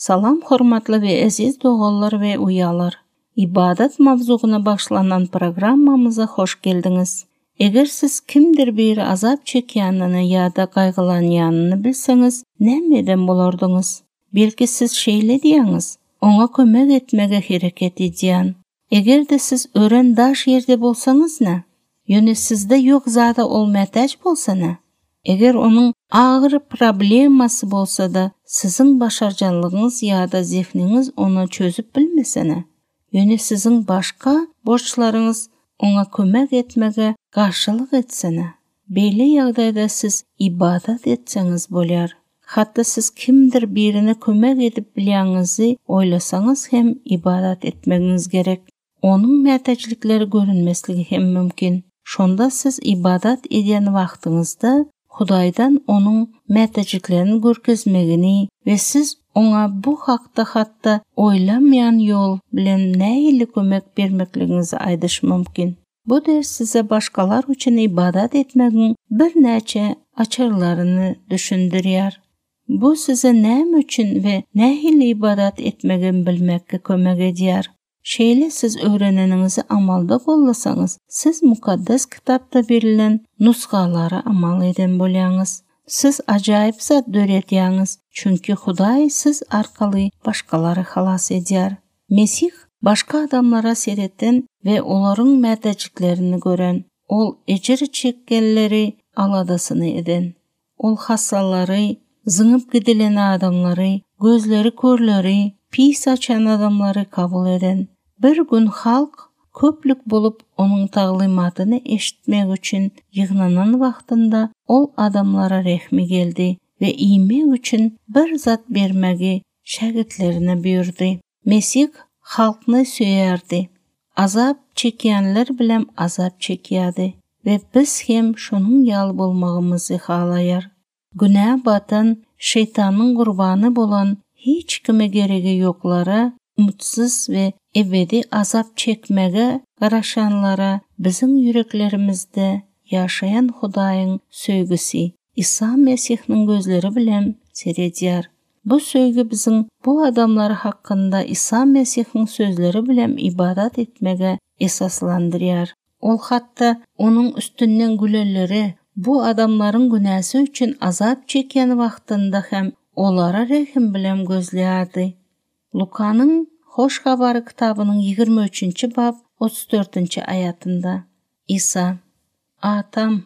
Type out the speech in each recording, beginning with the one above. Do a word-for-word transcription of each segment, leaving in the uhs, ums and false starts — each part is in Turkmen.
Salam hormatly we eziz doganlar we uýalar. Ibadat mawzugyna başlanan programmamyza hoş geldiňiz. Eger siz kimdir biri azap çekýänini ýa-da gaýgylanýanyny bilseňiz, näme eden bolardyňyz? Belki siz şeýle diýýäňiz, oňa kömek etmege hereket edýän. Eger-de siz ören daş ýerde bolsaňyz nä? Ýöne sizde ýok zada ol mätäç bolsa nä? Eger onuň agyr problemasy bolsa-da, siziň başarjaňlygyňyz ýa-da zehniňiz ony çözüp bilmese nä? Ýöne siziň başga borçlaryňyz oňa kömek etmege garşylyk etse nä? Beýle ýagdaýda siz ibadat etseňiz bolýar. Hatda siz kimdir birine kömek edip bilýäňizi oýlasaňyz hem ibadat etmegiňiz gerek. Onuň mätäçlikleri görünmesligi hem mümkin. Şonda siz ibadat edýän wagtyňyzda Hudaýdan onuň mätäçliklerini görkezmegini we siz oňa bu hakda hatda oýlamaýan ýol bilen nähili kömek bermekligiňizi aýdyş mümkin. Bu ders size başgalar üçin ibadat etmegiň birnäçe açarlaryny düşündirýär. Bu size näme üçin we nähili ibadat etmegi bilmekge kömek edýär. Şeýle siz öwreneniňizi amalda gollasaňyz, siz mukaddes kitapda berilen nusgalara amal eden bolýaňyz. Siz ajaýyp zat döredýäňiz, çünki Hudaý siz arkaly başgalary halas edýär. Mesih başga adamlara sereten we olaryň mätäçliklerini gören, ol ejir çekkenleri aladasyny eden. Ol hassalary, zyňyp gidilen adamlary, gözleri körleri, pis açan adamlary kabul eden. Bir gün halk köplük bolup onuň taglymatyny eşitmek üçin ýygnanan wagtynda ol adamlara rehmi geldi we iýmek üçin bir zat bermegi şägirtlerine buýurdy. Mesih halkny söýerdi. Azap çekýänler bilen azap çekýärdi we biz hem şonuň ýaly bolmagymyzy halaýar. Günä batan, şeytanyň gurbany bolan hiç kime geregi ýoklara, umutsyz we ebedi azap çekmege garaşanlara biziň ýüreklerimizde ýaşaýan Hudaýyň söýgüsi Isa Mesihniň gözleri bilen seredýär. Bu söýgi biziň bu adamlar hakynda Isa Mesihniň sözleri bilen ibadat etmege esaslandyrýar. Ol hatda onuň üstünden gülenleri bu adamlaryň günäsi üçin azap çekýän wagtynda hem olara rehim bilen gözleýärdi. Lukanyň Hoş Habary kitabynyň ýigrimi üçünji bap otuz dördünji aýatynda Isa: Atam,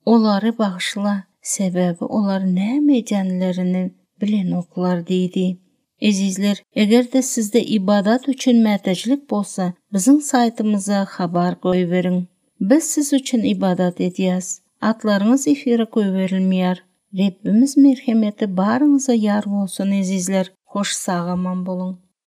olary bagyşla, sebäbi olar näme edýänlerini bilenoklar diýdi. Ezizler, eger-de sizde ibadat üçin mätäçlik bolsa, biziň saýtymyza habar goýberiň. Biz siz üçin ibadat edýäs. Atlaryňyz efire goýberilmeýär. Rabbimiz merhemeti baryňyza ýar bolsun ezizler. Hoş sag aman boluň.